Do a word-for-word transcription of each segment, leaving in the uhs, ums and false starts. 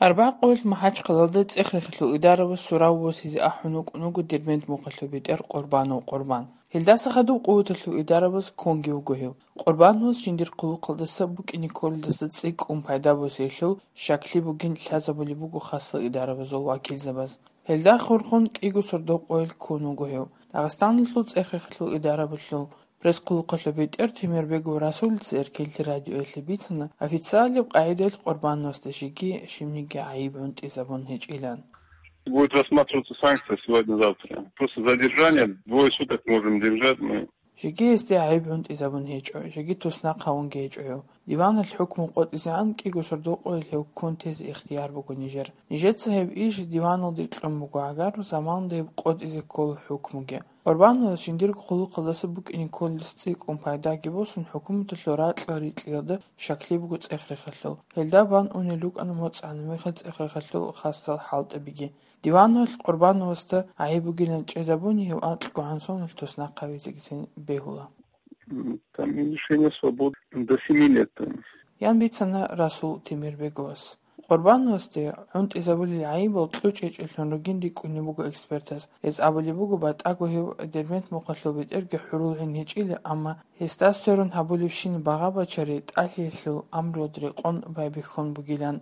Арбагъ къоялъ МахӀачхъалалда цӀех-рехалъул идарабаз сурав восизе ахӀун вукӀун вуго Дербент мухъалъул бетӀер Къурбанов Къурбан. Гьелдаса хадуб къуваталъул идарабаз ккунги вуго гьев. Къурбановас жиндир хъулухъалдаса букӀине кколелдаса цӀикӀкӀун пайда босиялъул щаклъи бугин лъазабулеб буго хасал идарабазул вакилзабаз. Гьелда хурхун кӀиго сордо къоялъ ккун вуго гьев. Дагъистаналъул цӀех-рехалъул идарабалъул пресс-хъулухъалъул бетӀер Темирбегов Расулица Эркенлъи радиоялъе бицана, официалияб къагӀидаялъ Къурбановасда жеги щибниги гӀайиб гӀунтӀизабун гьечӀилан. Будет рассматриваться санкция сегодня-завтра. Просто задержание, двое суток можем держать мы. Жеги гьесде гӀайиб гӀунтӀизабун гьечӀо, жеги туснахъ гьавунги гьечӀо гьев. Диваналъ хӀукму къотӀизегӀан кӀиго сордо къоялъ гьев ккун тезе ихтияр буго нижер. Нижеца гьеб иш диваналде кьун буго, гӀагар заманалда гьеб къотӀизе ккола хӀукмуги. Къурбановас жиндирго хъулухъалдаса букӀине кколелдаса цӀикӀкӀун пайдаги босун, хӀукуматалъул ракьал рикьиялда щаклъи буго цӀех-рехалъул. Гьелда бан унел рукӀана моцӀ-гӀанамехал цӀех-рехалъул хасал хӀалтӀабиги. Диваналъ Къурбановасда гӀайиб бугилан чӀезабуни гьев анкьго гӀан соналъ туснахъ гьавизегицин бегьула. М, там лишение свободы до семи лет там. Ян бицана Расул Темирбеговас. Къурбановасде гӀунтӀизабулел гӀайибал кьучӀечӀелъун ругин рикӀкӀунеб буго экспертаз. Гьез абулеб буго, батӀаго гьев Дербент мухъалъул бетӀерги хӀурулгӀин гьечӀила, амма гьесда сверун гьабулебщин багъа-бачари тӀалъиялъул амруялда рекъон байбихьун бугилан.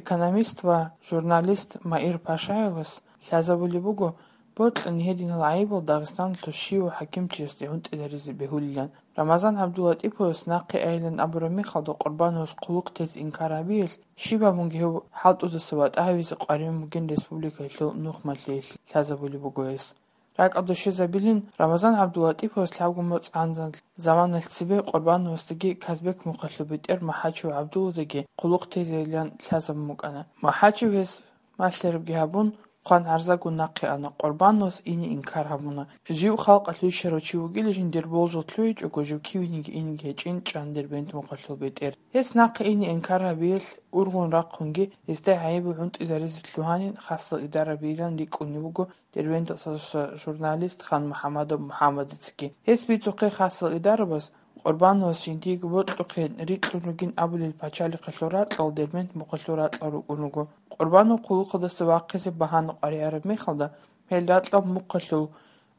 Экономист ва журналист Маир Пашаевас лъазабулеб буго, бокьани гьединал гӀайибал Дагъистаналъул щивав хӀакимчиясде гӀунтӀизаризе бегьулилан. Рамазан ГӀабдуллатӀиповас нахъе айилан абураб мехалда Къурбановас хъулухъ тезе инкар гьабиялъ, щиб гьабунги гьев хӀалтӀудаса ватӀа гьавизе къваригӀун бугин республикаялъул нухмалъиялъ лъазабулеб буго гьес. РакӀалда щвезабилин, Рамазан ГӀабдуллатӀиповас лъабго моцӀ гӀанзан заманалъ цебе Къурбановасдаги Казбек мухъалъул бетӀер МахӀачев ГӀабдулладаги хъулухъ тезейилан лъазабун букӀана. МахӀачев гьес малъарабги гьабун, хъван-гӀарзаго нахъе ана, Къурбановас ине инкар гьабуна. Жив халкъалъ вищарав чи вугила жиндир болжал лъугьичӀого, жив кивениги инеги гьечӀин чӀан Дербент мухъалъул бетӀер. Гьес нахъе ине инкар гьабиялъ ургъун рахъунги, гьесда гӀайибал гӀунтӀизаризе лъугьанин хасал идарабийилан рикӀкӀунеб буго Дербенталъуса журналист Хан МухӀамадов МухӀамадицаги. Гьес бицухъе хасал идарабаз, Къурбановас жиндиего бокьухъе рикьун ругин абулел пачалихъалъул ракьал Дербент мухъалъул ракьал рукӀун руго. Къурбанов хъулухъалдаса вахъизе багьана къваригӀараб мехалда, гьел ракьал мухъалъул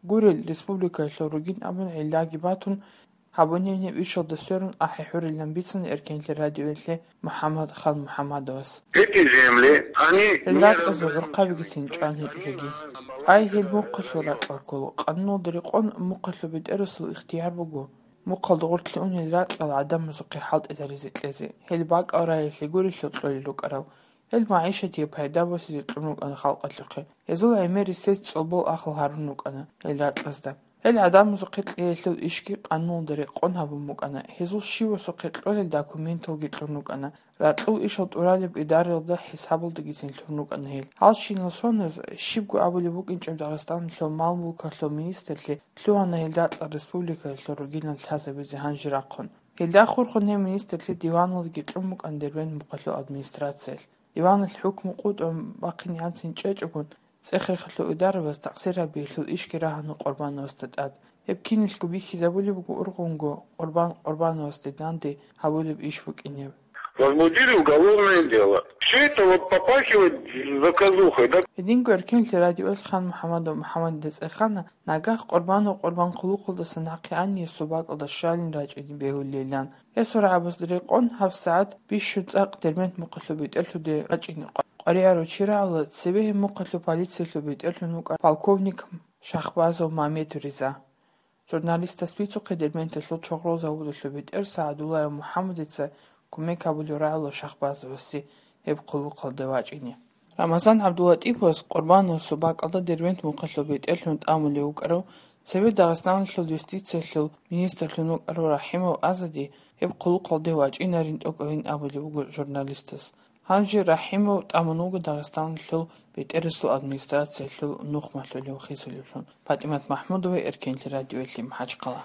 гурел республикаялъул ругин абун гӀиллаги батун, гьабунеб ишалда сверун ахӀи-хӀурилан бицана Эркенлъи радиоялъе МухӀаммад Хан МухӀаммадовас. Эти земли, они... Гьел ракьазул гӀурхъабигицин чӀван гьечӀо жеги. Ай, гьел мухъалъул ракьал ккола, къануналда рекъон мухъалъул бетӀерасул ихтияр буго мухъалда гъорлъе унел ракьал гӀадамазухъе хӀалтӀизаризе кьезе, гьел бакӀал раялъе гурелъул кьолел рукӀарал. Гьел магӀишатие пайда босизе кьун рукӀана халкъалъухъе. Гьезул гӀемер рисес цӀолбол ахал гьарун рукӀана гьел ракьазда. Гьел гӀадамазухъе кьеялъул ишги къануналда рекъон гьабун букӀана. Гьезул щивасухъе кьолел документалги кьун рукӀана. Ракьул ишал тӀуралеб идараялда хӀисабалдагицин лъун рукӀана гьел. Гьалщинал соназ, щибго абулеб букӀинчӀеб Дагъистаналъул мал-мулкалъул министрлъи лъугьана гьел ракьал республикаялъул ругилан лъазабизе гьанже рахъун. Гьелда хурхун гьеб министрлъи диваналдаги кьун букӀана Дербент мухъалъул администрациялъ. Диваналъ хӀукму къотӀун бахъинегӀанцин чӀечӀогун, цӀех-рехалъул идарабаз такъсир гьабиялъул ишги рагьана Къурбановасда тӀад. Гьеб киналъго бихьизабулеб буго ургъунго Къурбан Къурбановасде данде гьабулеб иш букӀинеб. Возбудили уголовное дело. Всё это вот попахивает заказухой, да? Гьединго Эркенлъи радиоялъ Хан МухӀаммадов МухӀаммадида цӀехана, нагагь Къурбанов Къурбан хъулухъалдаса нахъе ани гьесул бакӀалда щалин рачӀине бегьулилан. Гьесул рагӀабазда рекъон гьабсагӀат бищун цӀакъ Дербент мухъалъул бетӀерлъуде рачӀине къваригӀарав чи рагӀула, цебе гьеб мухъалъул полициялъул бетӀерлъун вукӀарав полковник Шахбазов Мамед Риза. Журналистас бицухъе Дербенталъул чорхол заводалъул бетӀер СагӀдуллаев МухӀаммадица кумек гьабулев рагӀула Шахбазовасе гьеб хъулухъалде вачӀине. Рамазан ГӀабдуллатӀиповас Къурбановасул бакӀалда Дербент мухъалъул бетӀерлъун тӀамулев вукӀарав, цебе Дагъистаналъул юстициялъул министрлъун вукӀарав РахӀимов Азади гьеб хъулухъалде вачӀинарин тӀокӀабин абулеб буго журналистас. Гьанже РахӀимов тӀамун вуго Дагъистаналъул бетӀерасул администрациялъул нухмалъулев хисулевлъун. ПатӀимат МахӀмудова, Эркенлъи радиоялъе, МахӀачхъала.